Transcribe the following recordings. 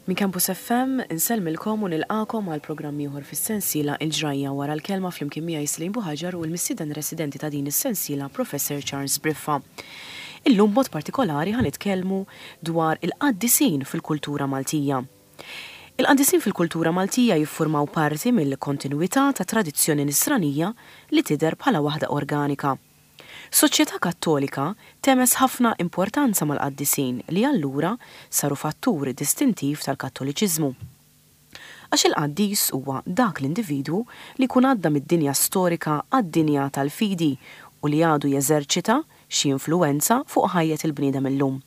Minn Campus FM insellmilkom u nilqagħkom għal programm ieħor fis-sensiela Il-Ġrajja Wara l-Kelma flimkien miegħi Celine Buhagiar u l-mistieden residenti ta' din is-sensiela Professor Charles Briffa. Illum b'mod partikolari ħa nitkellmu dwar il-qaddisin fil-kultura Maltija. Il-qaddisin fil-kultura Maltija jiffurmaw parti mill-kontinwità ta' tradizzjoni Nisranija li tidher bħala waħda organika. Soċjetà Kattolika tehmeż ħafna importanza mal-qaddisin li allura saru fattur distintiv tal-Kattoliċiżmu. Għax il-qaddis huwa dak l-individwu li jkun għadda mid-dinja storika għad-dinja tal-fidi u li għadu jeżerċita xi influwenza fuq ħajjet il-bniedem illum.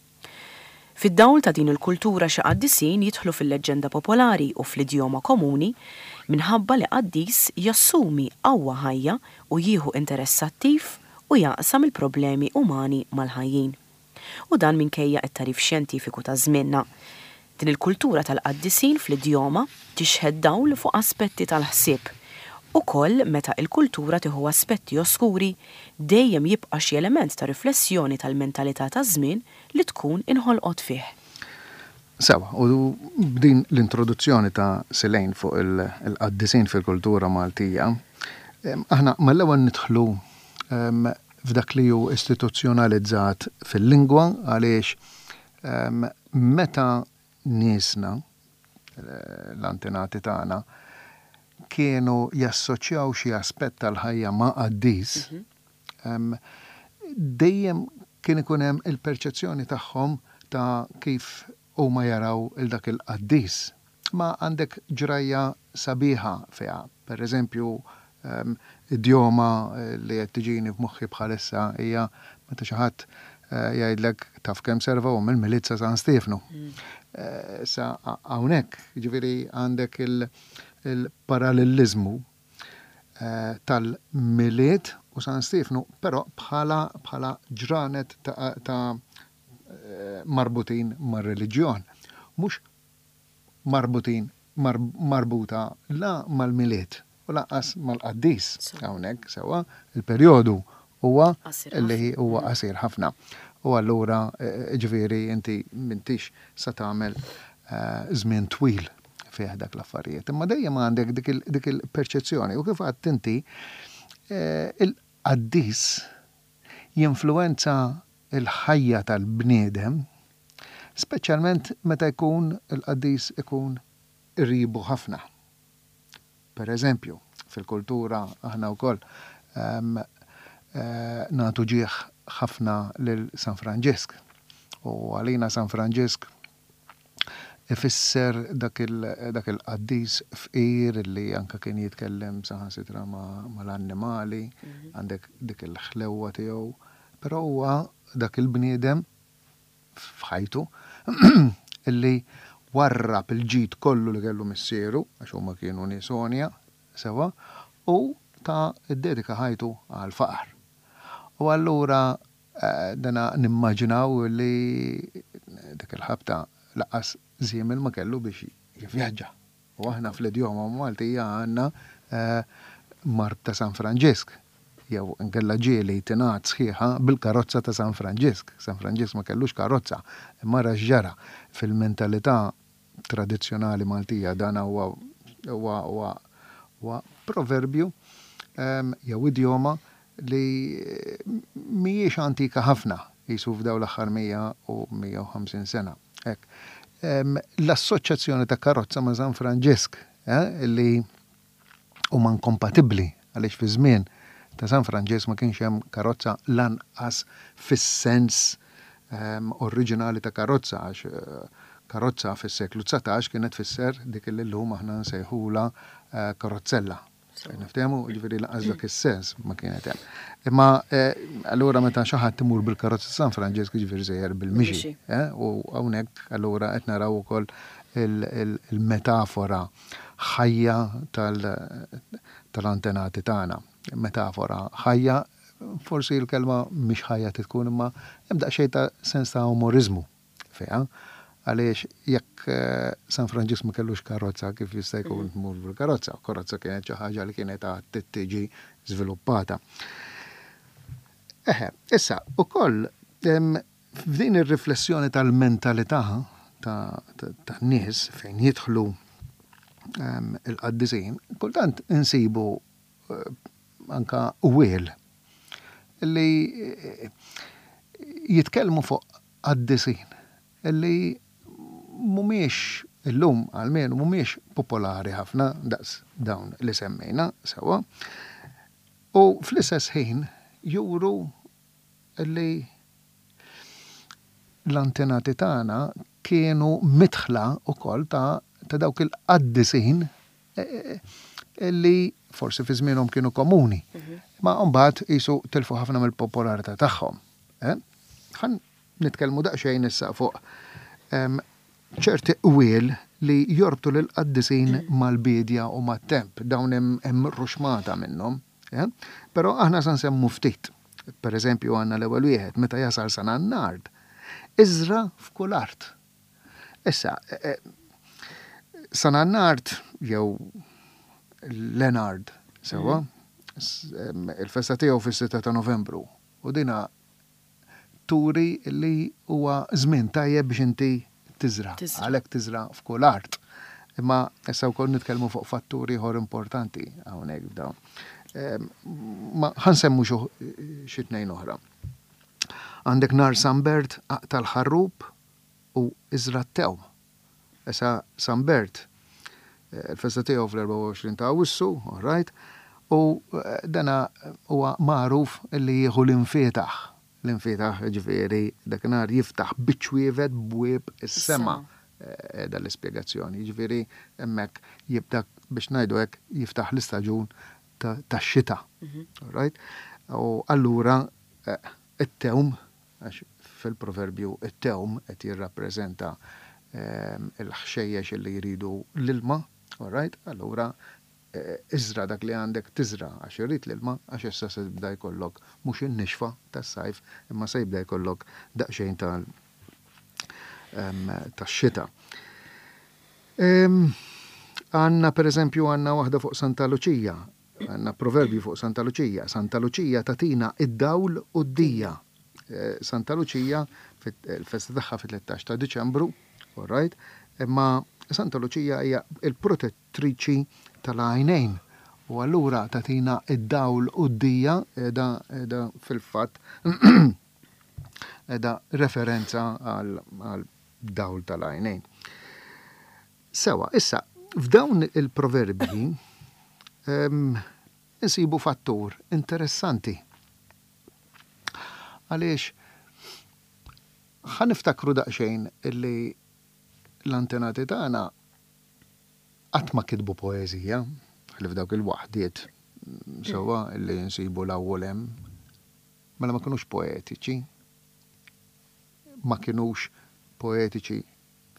Fid-dawl ta' din il-kultura xi qaddisin jidħlu fil-leġġenda popolari u fl-idjoma komuni minħabba li qaddis jassumi qawwa ħajja u jieħu interess attiv u jaqsam il-problemi umani mal-ħajjin. U dan minkejja t-tagħrif xjentifiku ta' żmienna. Din il-kultura tal-qaddisin fl-idjoma tixħet dawl fuq aspetti tal-ħsieb. Ukoll meta il-kultura tieħu aspetti oskuri, dejjem jibqa' xi element ta' riflessjoni tal-mentalità taż-żmien li tkun inħolqot fih. Sewwa, u b'din l-introduzzjoni ta' Silane fuq il-qaddisin fil-kultura Maltija, aħna mal-ewwel nidħlu f'dak li hu istituzzjonalizzat fil-lingwa għaliex meta niesna, l-antenati tagħna, kienu jassoċjaw xi aspett tal-ħajja ma' qaddis, dejjem kien ikun hemm il-perċezzjoni tagħhom ta' kif huma jaraw 'il dak il-qaddis. Ma għandek ġrajja sabiħa fiha. Per eżempju, idjoma li qed tiġini f'moħħi bħalissa hija meta xi ħadd jgħidlek taf kemm serva hu mill-Milied sa San Stiefnu. Issa hawnhekk, jiġifieri għandek il-paralleliżmu tal-Milied u San Stiefnu, però bħala bħala ġranet ta' marbutin mar-reliġjon. Mhux marbutin marbuta la mal-Milied u lanqas mal-qaddis hawnhekk sewwa, il-perjodu huwa li huwa qasir ħafna. U allura ġifieri inti m'intix sa tagħmel żmien twil fih dak l-affarijiet. Imma dejjem għandek dik il-perċezzjoni u kif għedt inti il-qaddis jinfluwenza l-ħajja tal-bniedem, speċjalment meta jkun il-qaddis ikun qribu ħafna. Per eżempju, fil-kultura aħna wkoll nagħtu ġieħ ħafna lil San Franġisk. U għalina San Franġisk ifisser dak il-qaddis fqir li anke kien jitkellem saħansitra mal-annimali, għandek dik il-ħlewwa tiegħu, però huwa dak il-bniedem f'ħajtu li warrab il-ġid kollu li kellu missieru, għax huma kienu nies għonja sewwa, u ta ddedika ħajtu għall-faqar. U allura dana nimmaġinaw li dik il-ħabta lanqas żiemel ma kellu biex jivvjaġġa. U aħna fl-idjoma Maltija għandna mard ta' San Franġisk, jew inkella ġieli tingħad sħiħa bil-karozza ta' San Franġisk. San Franġisk ma kellux karozza, imma ara x'ġara fil-mentalità tradizzjonali Maltija dan huwa huwa huwa huwa proverbju jew idjoma li mhijiex antika ħafna, qisu f'dawn l-aħħar 100 u 150 sena. Hekk. L-assoċjazzjoni ta' karozza ma' San Franġisk, li huma inkompatibbli għaliex fi żmien ta' San Franġisk ma kienx hemm karozza lanqas fis-sens oriġinali ta' karozza għax karozza fis-seklu 19 kienet tfisser dik li llum aħna nsejħulha karozzella. Niftehmu, jiġifieri lanqas dak is-sens ma kienet hemm. Imma allura meta xi ħadd imur bil-karozza San Franġisk jiġifieri sejjer bil-mixi. U hawnhekk allura qed naraw ukoll il-metafora ħajja tal-antenati tagħna. Metafora ħajja, forsi l-kelma mhix ħajja trid tkun imma hemm daqsxejn ta' sens ta' umoriżmu fiha. Għaliex jekk San Franġisk ma kellux karozza kif jista' jkun tmur bil-karozza? Karozza kienet xi ħaġa li kienet għad trid tiġi żviluppata. Eħe, issa ukoll f'din ir-riflessjoni tal-mentalità tan-nies fejn jidħlu il-qaddisin, kultant insibu anka qwiel li jitkellmu fuq qaddisin li mhumiex illum almenu mhumiex popolari ħafna daqs dawn li semmejna sewwa. U fl-istess ħin juru li l-antenati tagħna kienu midħla wkoll ta' dawk il-qaddisin li forsi fi żmienhom kienu komuni, imma mbagħad qisu tilfu ħafna mill-popolarità tagħhom. Ħa nitkellmu daqsxejn issa fuq ċerti qwiel li jorbtu lill-qaddisin mal-biedja u mat-temp. Dawn hemm ruxmata minnhom. Però aħna se nsemmu ftit. Per eżempju għandna l-ewwel wieħed, meta jasal San Annard, iżra' f'kull art. Issa, San Annard jew Lenard, sewwa, il-festa tiegħu fis-6 ta' Novembru u dina turi li huwa żmien tajjeb biex inti tiżra'. Għalhekk tiżra' f'kull art. Imma issa wkoll nitkellmu fuq fattur ieħor importanti hawnhekk f'dawn. Ma ħa nsemmu xi tnejn oħra. Għandek nhar San Bert aqta' l-ħarrub u iżra' t-tewm. Issa San Bert, il-festa tiegħu fl-24 ta' Awwissu, all right, u dana huwa magħruf li jieħu l-infietaħ. L-infietaħ, jiġifieri dakinhar jiftaħ biċ-ċwievet bwieb is-sema. Qiegħda l-ispjegazzjoni. Jiġifieri hemmhekk jibda biex ngħidu hekk jiftaħ l-istaġun tax-xita. All right? U allura it-tewm Għax fil-proverbju t-tewm qed jirrappreżenta l-ħxejjex li jridu l-ilma, all right? Allura iżra' dak li għandek tiżra' għax irid l-ilma għax issa se jibda jkollok mhux in-nixfa tas-sajf imma se jibda jkollok daqsxejn tal tax-xita. Għandna pereżempju għandna waħda fuq Santa Luċija. Għandna proverbju fuq Santa Luċija. Santa Luċija tagħtina d-dawl u d-dija. Santa Luċija, il-festa tagħha fit-13 ta' Diċembru, all right, imma Santa Luċija hija l-protettriċi tal-għajnejn u allura tagħtina d-dawl u d-dija qiegħda qiegħda fil-fatt qiegħda referenza għal dawl tal-għajnejn. Sewwa, issa, f'dawn il-proverbji insibu fattur interessanti. Għaliex ħa niftakru daqsxejn illi l-antenati tagħna qatt ma kitbu poeżija, ħlief dawk il-waħdiet sewwa illi nsibu 'l hawn u 'l hemm. Mela ma kinux poetiċi. Ma kinux poetiċi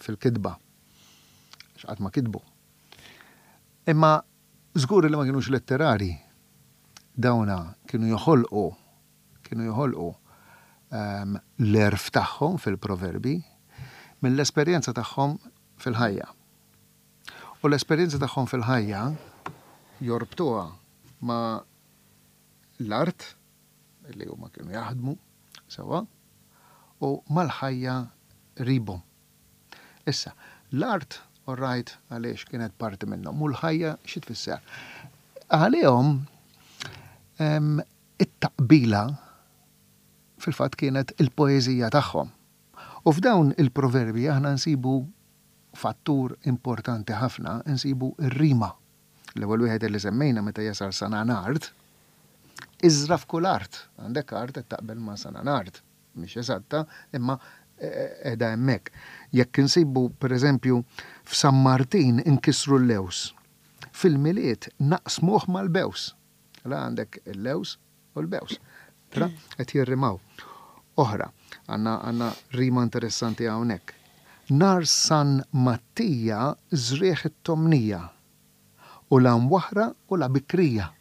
fil-kitba, għax qatt ma kitbu. Imma żgur li ma kinux letterari. Dawna kienu joħolqu, kienu joħolqu ehm, l-għerf tagħhom fil-proverbi mill-esperjenza tagħhom fil-ħajja. U l-esperjenza tagħhom fil-ħajja jorbtuha ma' l-art li huma kienu jaħdmu sewwa u mal-ħajja qribhom. Issa, l-art, all right, għaliex kienet parti minnhom, u l-ħajja xi tfisser? Għalihom it-taqbila fil-fatt kienet il-poeżija tagħhom. U f'dawn il-proverbi aħna nsibu fattur importanti ħafna, insibu r-rima. L-ewwel wieħed li semmejna meta jasal San Anard, iżra' f'kull art. Għandek art qed taqbel ma' San Anard. Mhix eżatta, imma qiegħda hemmhekk. Jekk insibu, pereżempju, f'San Martin inkissru l-lewż. Fil-Milied naqsmuh mal-bews. La għandek il-lewż u l-bews. Tra qed jirrimaw. Oħra, għandna għandna rima interessanti hawnhekk. Nhar San Mattija żrigħ it-tomnija, u la mwaħħra u la bikrija.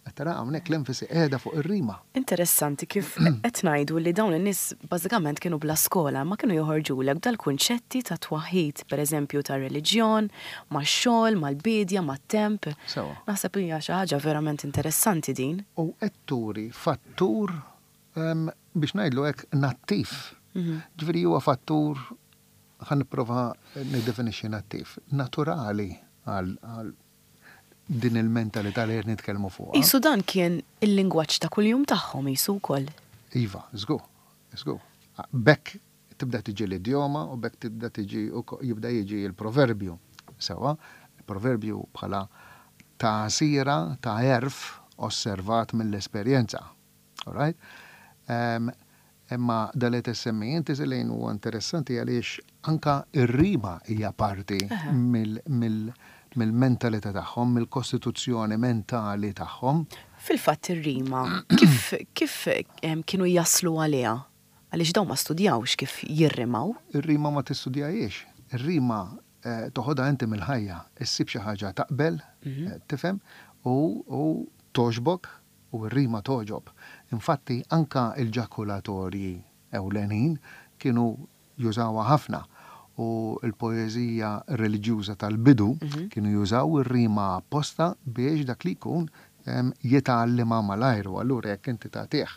Qed tara hawnhekk l-enfasi qiegħda fuq ir-rima. Interessanti kif qed ngħidu li dawn in-nies bażikament kienu bla skola, imma kienu joħorġulek b'dal-kunċetti ta' twaħħid, pereżempju tar-reliġjon, max-xogħol, mal-biedja, mat-temp. Sewwa. Naħseb li hija xi ħaġa verament interessanti din. U qed turi fattur, biex ngħidlu hekk, nattiv. Ġifieri huwa fattur. ħa nipprova niddefinixxi nattiv, naturali għal din il-mentalità li qed nitkellmu fuqha. Qisu dan kien il-lingwaġġ ta' kuljum tagħhom qisu wkoll. Iva, żgur, żgur. B'hekk tibda tiġi l-idjoma u b'hekk tibda tiġi jibda jiġi l-proverbju. Sewwa, il-proverbju bħala tagħsira ta' għerf osservat mill-esperjenza. All right? Imma dan li qed issemmi inti Celine huwa interessanti għaliex anka r-rima hija parti mill-mentalità tagħhom, mill-kostituzzjoni mentali tagħhom. Fil-fatt ir-rima kif kif kienu jaslu għaliha? Għaliex dawn ma studjawx kif jirrimaw. Ir-rima ma tistudjahiex. Ir-rima toħodha inti mill-ħajja. Issib xi ħaġa taqbel, tifhem, u togħġbok U r-rima togħġob. Infatti anka l-ġakulatorji ewlenin kienu jużawha ħafna u l-poeżija reliġjuża tal-bidu kienu jużaw ir-rima apposta biex dak li jkun jitgħallimha malajr u allura jekk inti tagħtih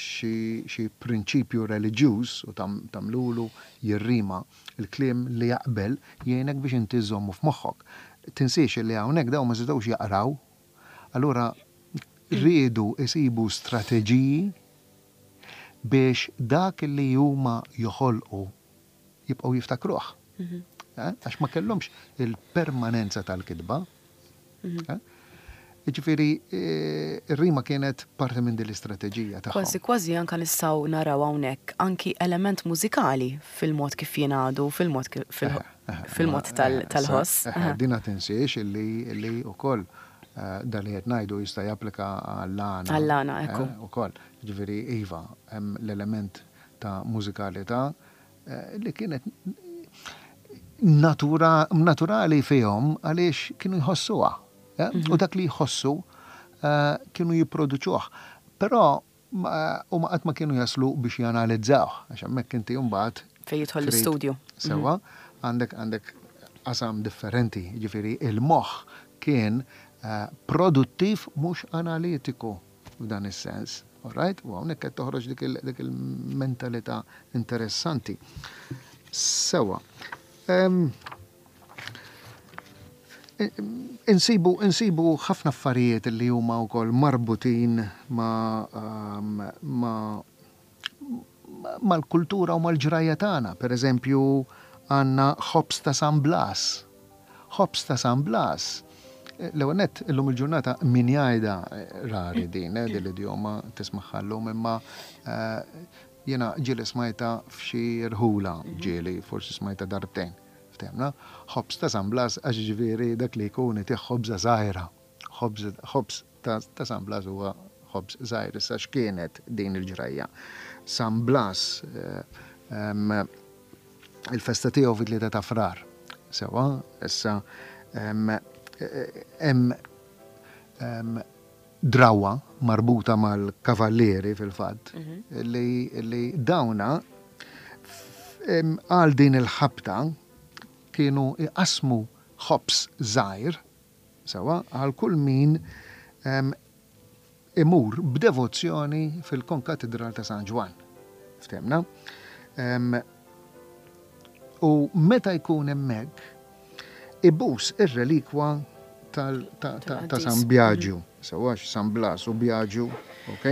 xi prinċipju reliġjuż u tagħmlulu jirrima l-kliem li jaqbel jgħinek biex inti żżommu f'moħħok. Tinsiex li hawnhekk dawn ma setgħux jaqraw, allura riedu jsibu strateġiji biex dak li huma joħolqu jibqgħu jiftakruh. Għax ma kellhomx il-permanenza tal-kitba. Jiġifieri r-rima kienet parti minn din l-istrateġija tagħhom. Kważi kważi anke nistgħu naraw hawnhekk anki element mużikali fil-mod kif jingħadu, fil-mod fil-mod tal-ħoss. Dina tinsiex illi wkoll dan li qed ngħidu jista' japplika għall-għana. Għall-għana, ekku. Ukoll. Jiġifieri iva, hemm l-element ta' mużikalità li kienet natura, naturali fihom għaliex kienu jħossuha. Eh? U dak li jħossu eh, kienu jipproduċuh. Però huma qatt ma kienu jaslu biex janalizzawh, għax hemmhekk inti mbagħad fejn jidħol l-istudju. Sewwa, għandek għandek qasam differenti, ġifieri il-moħħ kien eh, produttiv mhux analitiku. f'dan is-sens. All right? U hawnhekk qed toħroġ dik il-mentalità interessanti. Sewa. Insibu, insibu ħafna affarijiet li huma wkoll marbutin ma' ma' mal-kultura u mal-ġrajja tagħna. Per eżempju, għandna ħobż ta' San Blas. Ħobż ta' San Blas. L-ewwel nett illum il-ġurnata min jgħidha rari din, eh, din l-idjoma tismagħha llum imma eh, jiena ġieli smajta f'xi rħula ġieli, forsi smajta darbtejn. Ftehmna? Ħobż ta' San Blas għax ġifieri dak li jkun itih ħobża żgħira. Ħobż ta' San Blas huwa ħobż żgħir. Issa x'kienet din il-ġrajja? San Blas eh, il-festa tiegħu fit-3 ta' Frar. Sewwa, issa hemm drawwa marbuta mal-kavallieri fil-fatt mhm. li dawna għal din il-ħabta kienu iqasmu ħobż żgħir Sewwa, għal kull min imur b'devozzjoni fil-Konkatidral ta' San Ġwann. Ftehmna? U meta jkun hemmhekk, ibus ir-relikwa ta' San Bjaġu, sewwa San Blas u Bjaġu, ok,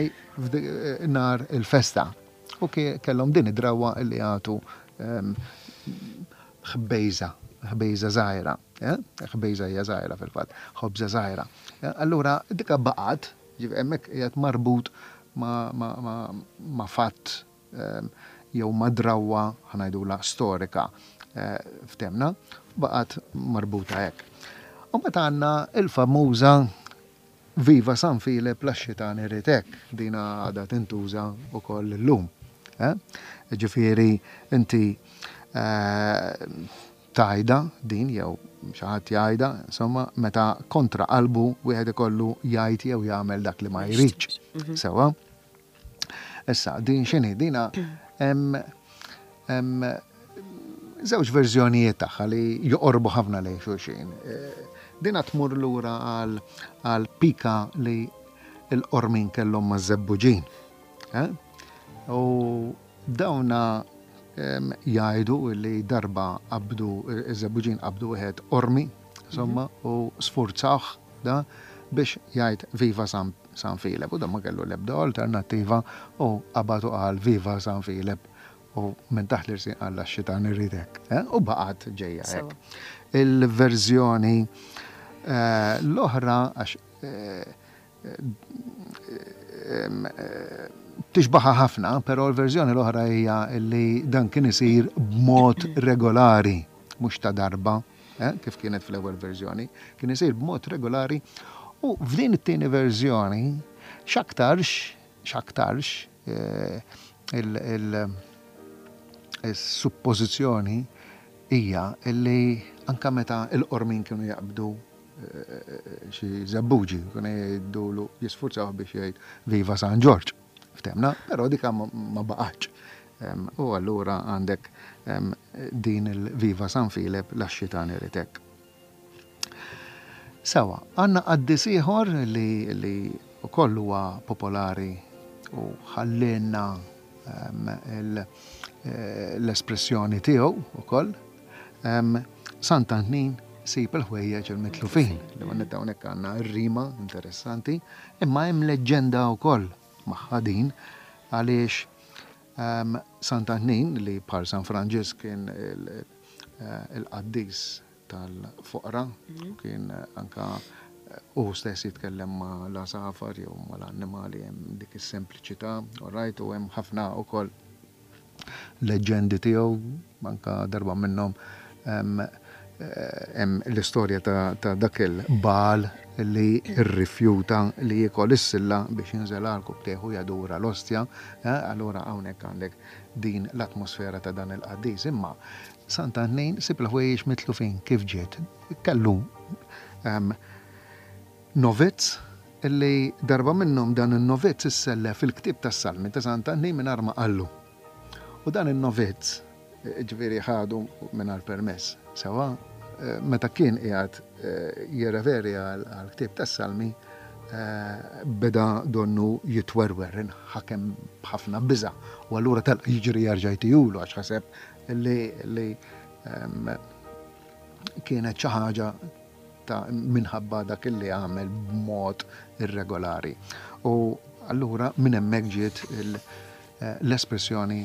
nhar il-festa. U kellhom din id-drawwa li jagħtu ħbejża, ħbejża żgħira. Ħbejża hija żgħira fil-fatt, ħobża żgħira. Allura dika baqgħet, hemmhekk qiegħed marbut ma' fatt jew ma' drawwa ħa ngħidulha storika f'temna, baqgħet marbuta hekk. U mbagħad għandna l-famuża Viva San Filep la x-xitan irid hekk, dina għadha tintuża wkoll illum. Ġifieri inti tgħidha din jew xi ħadd jgħidha, insomma, meta kontra qalbu wieħed ikollu jgħid jew jagħmel dak li ma jridx. Mhm. Sewwa? Issa, din x'inhi? Dina hemm żewġ verżjonijiet tagħha li joqorbu ħafna lejn xulxin. Eh, dina tmur lura għal pika li l-qormin kellhom ma' żebbuġin. Eh? U dawna Jgħidu li darba qabdu, iż-Żebbuġin qabdu wieħed Qormi, insomma, u sfurzawh da biex jgħid Viva San San Filep. U dan ma kellu l-ebda alternattiva u qabad u qal Viva San Filep u minn taħt l-irsin qal għax-xitan irid hekk. U baqgħet ġejja hekk. Il-verżjoni l-oħra għax tixbaħa ħafna, però l-verżjoni l-oħra hija li dan kien isir b'mod regolari, mhux ta' darba, eh, kif kienet fl-ewwel verżjoni, kien isir b'mod regolari u f'din it-tieni verżjoni x'aktarx x'aktarx eh, il-suppożizzjoni hija li anka meta l-qormin kienu jaqbdu xi żebbuġi, kienu jgħidulu jisfurzawh biex jgħid Viva San Ġorġ. Ftemna, però dika ma baqgħetx. U allura għandek din il-Viva San Filep la x-xitan irid hekk. Sewa, għandna qaddis ieħor li li wkoll huwa popolari u ħallielna l-espressjoni tiegħu wkoll. Sant'Antnin sib il-ħwejjeġ il-mitlufin. Li għandna hawnhekk għandna r-rima interessanti, imma hemm leġġenda wkoll magħha din għaliex Sant'Antnin li bħal San Franġisk kien il-qaddis tal-foqra, kien anka hu stess jitkellem ma' l-għasafar jew ma' l-annimali hemm dik is-sempliċità, all right, u hemm ħafna wkoll leġġendi tiegħu, anka darba minnhom hemm l-istorja ta' dak il-bagħal li rrifjuta li jiekol is-silla biex jinżel għal kubtejh u jadura l-ostja. Allura hawnhekk għandek din l-atmosfera ta' dan il-qaddis. Imma Sant'Antnin sib il-ħwejjeġ mitlufin kif ġiet. Kellu novizz li darba minnhom dan in-novizz issellef il-ktieb tas-Salmi ta' Sant'Antnin mingħajr ma qallu. U dan in-novizz, jiġifieri ħadu mingħajr permess, sewwa, meta kien qiegħed jirreferi għall-ktieb tas-Salmi, beda donnu jitwerwer, inħakem b'ħafna biża', u allura telaq jiġri jerġa' jtihulu għax ħaseb li kienet xi ħaġa ta' minħabba dak li għamel b'mod irregolari. U allura minn hemmhekk ġiet l-espressjoni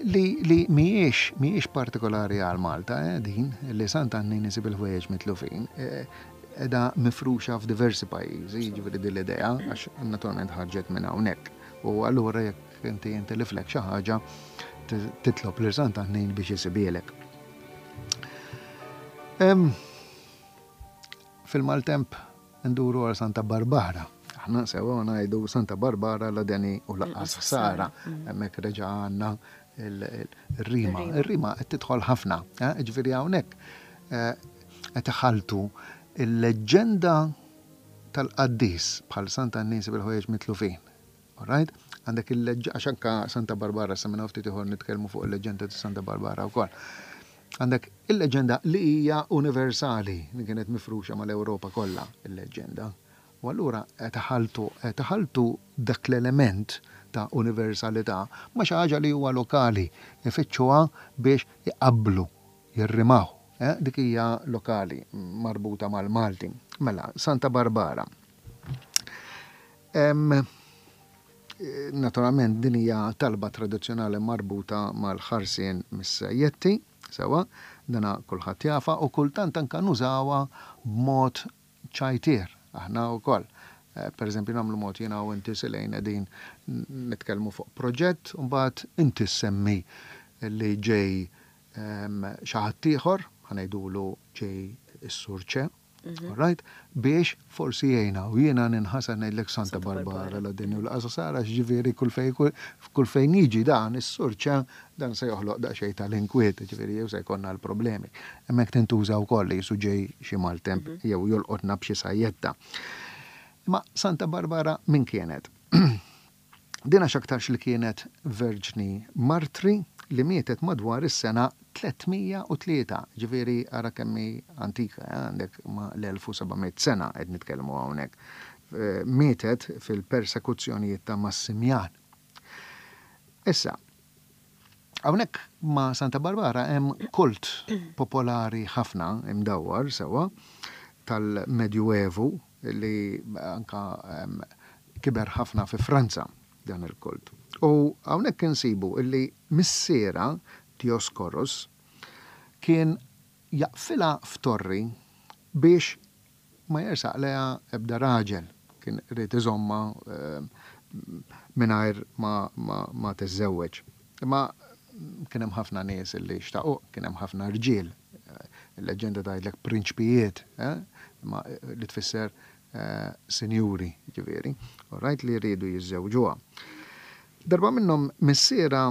li, li mhijiex mhijiex partikolari għal Malta, eh, din li Sant'Annin isib il-ħwejjeġ mitlufin, eh, edha mifruxa f'diversi pajjiżi, jiġifieri din l-idea, għax naturalment ħarġet minn hawnhekk. U allura jekk inti inti li flek xi ħaġa titlob lil Sant'Annin biex isibielek. Fil-maltemp nduru għal Santa Barbara. Aħna sewa ngħidu Santa Barbara la deni u laqqas ħsara. Mm. Hemmhekk reġa' għandna il-rima. Ir-rima qed tidħol ħafna. Eh, ġifieri hawnhekk eh, qed iħaltu il-leġġenda tal-qaddis bħal Santa Annisi bil-ħwejjeġ mitlufin. Alright? Għandek il-leġġ, għax anka Santa Barbara, sa minn ftit ieħor nitkellmu fuq il-leġġenda ta' Santa Barbara wkoll. Għandek il-leġġenda li hija universali, li kienet mifruxa mal-Ewropa kollha, il-leġġenda. U allura qed iħalltu, qed iħalltu dak l-element ta' universalità ma' xi ħaġa li huwa lokali, ifittxuha biex iqabblu, jirrimaw. Eh? Dik hija lokali, marbuta mal-Malti. Mela, Santa Barbara. Naturalment din hija talba tradizzjonali marbuta mal-ħarsien mis-sajjetti, sewwa, dana kulħadd jafha u kultant anke nużawha b'mod ċajtier aħna wkoll. Per eżempju nagħmlu mod jiena u inti Silejn qegħdin nitkellmu fuq proġett u mbagħad inti ssemmi li ġej xi ħadd ieħor, ħa ngħidulu ġej is-Sur Ċe, Mhm. All right? Biex forsi jgħina u jiena ninħasad ngħidlek Santa Barbara la din u l-qasa sara ġifieri kull fejn kull fejn jiġi dan is-surċa dan se joħloq daqsxejn tal-inkwiet, ġifieri jew se jkollna l-problemi. Hemmhekk tintuża wkoll li jisu ġej xi maltemp mhm. jew jolqotna b'xi sajjetta. Ma Santa Barbara min kienet? Din għax aktarx li kienet verġni martri li mietet madwar is-sena 303, jiġifieri ara kemm hi antika, eh, għandek ma' l-1700 sena qed nitkellmu hawnhekk. Mietet fil-persekuzzjonijiet ta' Massimjan. Issa, Hawnhekk ma' Santa Barbara hemm kult popolari ħafna imdawwar sewwa tal-Medjuevu li anka kiber ħafna fi Franza dan il-kult. U hawnhekk insibu li missierha Dioscorus kien jaqfilha f'torri biex ma jersaq lejha ebda raġel, kien ried iżommha mingħajr ma tiżżewweġ. Imma kien hemm ħafna nies li xtaquh, kien hemm ħafna rġiel, il-leġġenda tgħidlek prinċpijiet, imma li tfisser sinjuri, jiġifieri, all right, li riedu jiżżewġuha. Darba minnhom missierha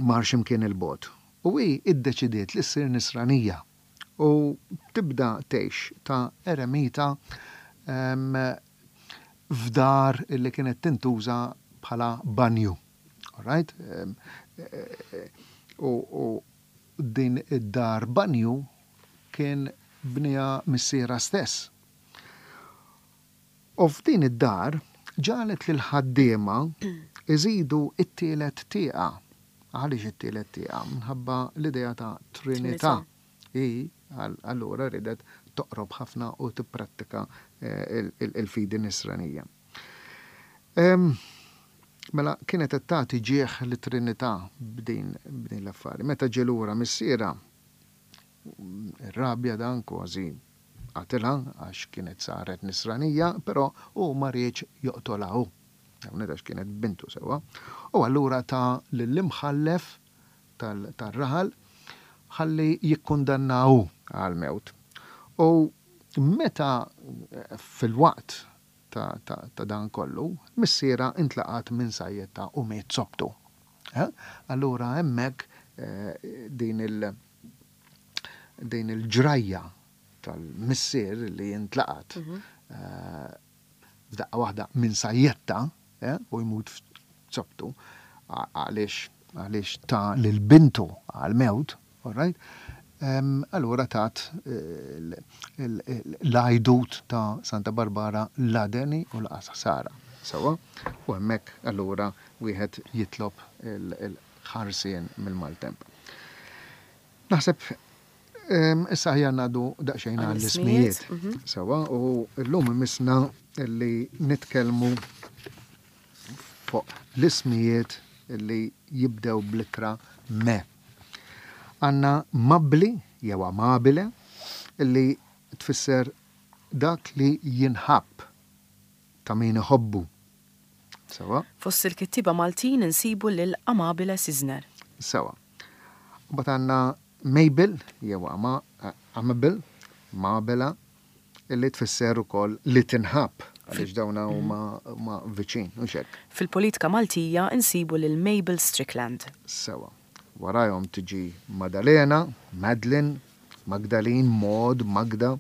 mar xi mkien 'il bogħod u hi ddeċidiet li ssir Nisranija. U tibda tgħix ta' eremita f'dar li kienet tintuża bħala banju. All right? U din id-dar banju kien bniha missierha stess. U f'din id-dar ġagħlet lill-ħaddiema jżidu t-tielet tieqa. Għaliex it-tielet tieqa? Minħabba l-idea ta' Trinità. Hi allura riedet toqrob ħafna u tipprattika l-fidi Nisranija. Mela kienet qed tagħti ġieħ lit-Trinità b'din l-affari. Meta ġie lura missierha, Irrabja dan kważi qatilha għax kienet saret Nisranija, però hu ma riedx joqtolha hu. Hawnhekk għax kienet bintu sewwa. U allura ta lill-imħallef tar-raħal ħalli jikkundannaha hu għall-mewt. U meta fil-waqt ta' dan kollu, missierha intlaqat minn sajjetta u miet sobtu. Allura hemmhekk din il din il-ġrajja tal-missier li jintlaqat f'daqqa waħda minn sajjetta u jmut f'sobtu għaliex għaliex ta lil bintu għall-mewt, all right, allura tat l-għajdut ta' Santa Barbara la deni u laqas ħsara. Sewwa? U hemmhekk allura wieħed jitlob il-ħarsien mill-maltemp. Naħseb issa aħjar ngħaddu daqsxejn għall-ismijiet. Sewwa, u llum imissna li nitkellmu fuq l-ismijiet li jibdew bl-ittra me. Għandna Mabbli jew Amabile li tfisser dak li jinħabb, ta' min iħobbu. Sewwa? Fost il-kittieba Maltin insibu lil Amabile Sisner. Sewwa. Imbagħad għandna Mabel jew Amable, Mabela, li tfisser ukoll li tinħabb, għaliex dawn huma viċin, hux hekk? Fil-politika Maltija nsibu lil Mabel Strickland. Sewwa. Warajhom tiġi Madalena, Madeline, Magdalene, Maud, Magda.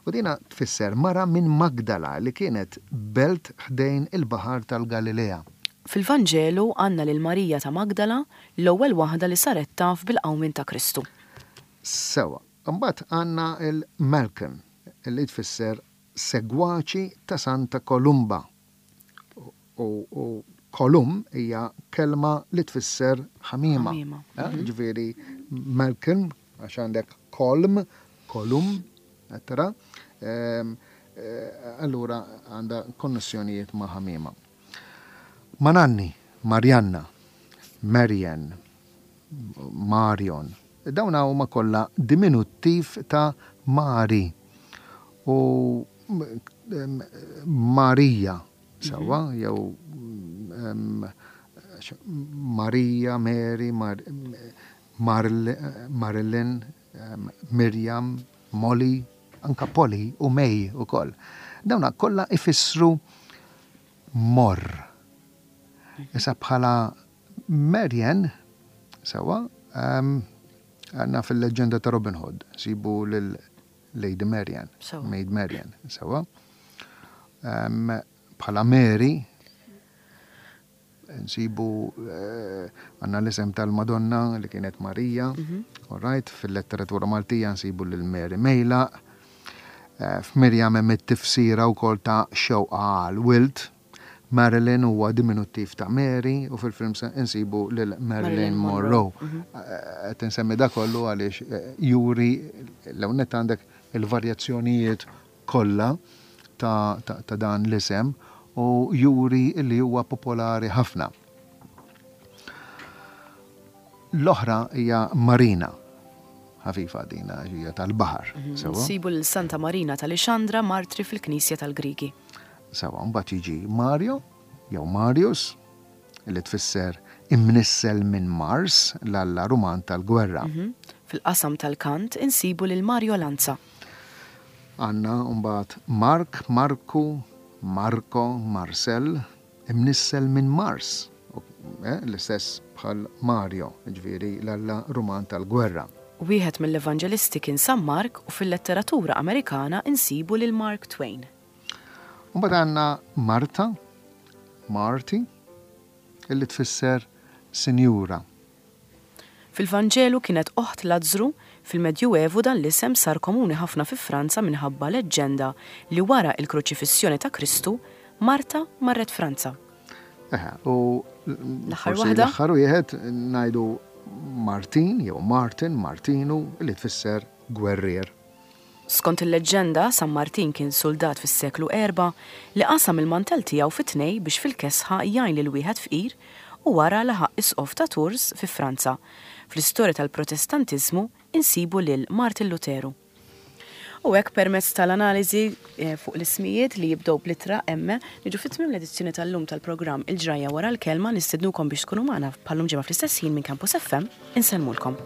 U dina tfisser mara minn Magdala li kienet belt ħdejn il-Baħar tal-Galilea. Fil-Vanġelu għandna lil Marija ta' Magdala, l-ewwel waħda li saret taf bil-qawmien ta' Kristu. Sewwa. Imbagħad għandna l-Malcolm, li tfisser segwaċi ta' Santa Kolumba. U kolum hija kelma li tfisser ħamiema. Ġifieri Malcolm, għax għandek kolm, kolum, qed tara? Allura għandha konnessjonijiet ma' ħamiema. Mananni, Marianna, Marianne, Marion. Dawn huma kollha diminuttiv ta' Mari u Marija, sewwa, jew Marija, Mary, Marilyn, Miriam, Molly, anka Polly u May ukoll. Dawn kollha ifissru morr. Issa bħala Marian, sewwa, għandna fil-leġġenda ta' Robin Hood, nsibu lil Lady Marian, Maid Marian, sewwa. Bħala Mary, nsibu eh, għandna l-isem tal-Madonna li kienet Marija, mhm. all right, fil-letteratura Maltija nsibu lil Mary Mejlaq, eh, f'Mirjam hemm it-tifsira wkoll ta' xewqa għal wild. Marilyn huwa diminuttiv ta' Mary u fil-films insibu lil Marilyn Monroe. Qed insemmi da kollu għaliex juri l-ewwel nett għandek il-varjazzjonijiet kollha ta' dan l-isem u juri li huwa popolari ħafna. L-oħra hija Marina. Ħafifa dina hija tal-baħar. Nsibu lil Santa Marina ta' Lixandra martri fil-Knisja tal-Griegi. Sewa, mbagħad jiġi Mario jew Marius li tfisser imnissel minn Mars, l-alla Ruman tal-gwerra. Fil-qasam tal-kant insibu lil Mario Lanza. Għandna mbagħad Mark, Marku, Marco, Marcel, imnissel minn Mars, l-istess bħal Mario, jiġifieri l-alla Ruman tal-gwerra. Wieħed mill-evanġelisti kien San Mark u fil-letteratura Amerikana insibu lil Mark Twain. Mbagħad għandna Marta, Marty, illi tfisser sinjura. Fil-Vanġelu kienet oħt Lazzru, fil-Medjuevu dan l-isem sar komuni ħafna fi Franza minħabba leġġenda li wara il-kruċifissjoni ta' Kristu, Marta marret Franza. Eħe, u l-aħħar waħda? L-aħħar wieħed ngħidu Martin jew Martin, Martinu, li tfisser gwerrier. Skont il-leġġenda, San Martin kien suldat fis-seklu erbgħa li qasam il-mantell tiegħu fi tnej biex fil-kesħa jgħin lil wieħed fqir u wara laħaq Isqof ta' Tours fi Franza. Fl-istorja tal-Protestantiżmu insibu lil Martin Luteru. U hekk permezz tal-analiżi fuq l-ismijiet li jibdew bl-ittra M, niġu fi tmiem l-edizzjoni tal-lum tal-programm Il-Ġrajja Wara l-Kelma, nistednukom biex tkunu magħna bħal-lum ġimgħa fl-istess ħin minn Campus FM, insellmulkom.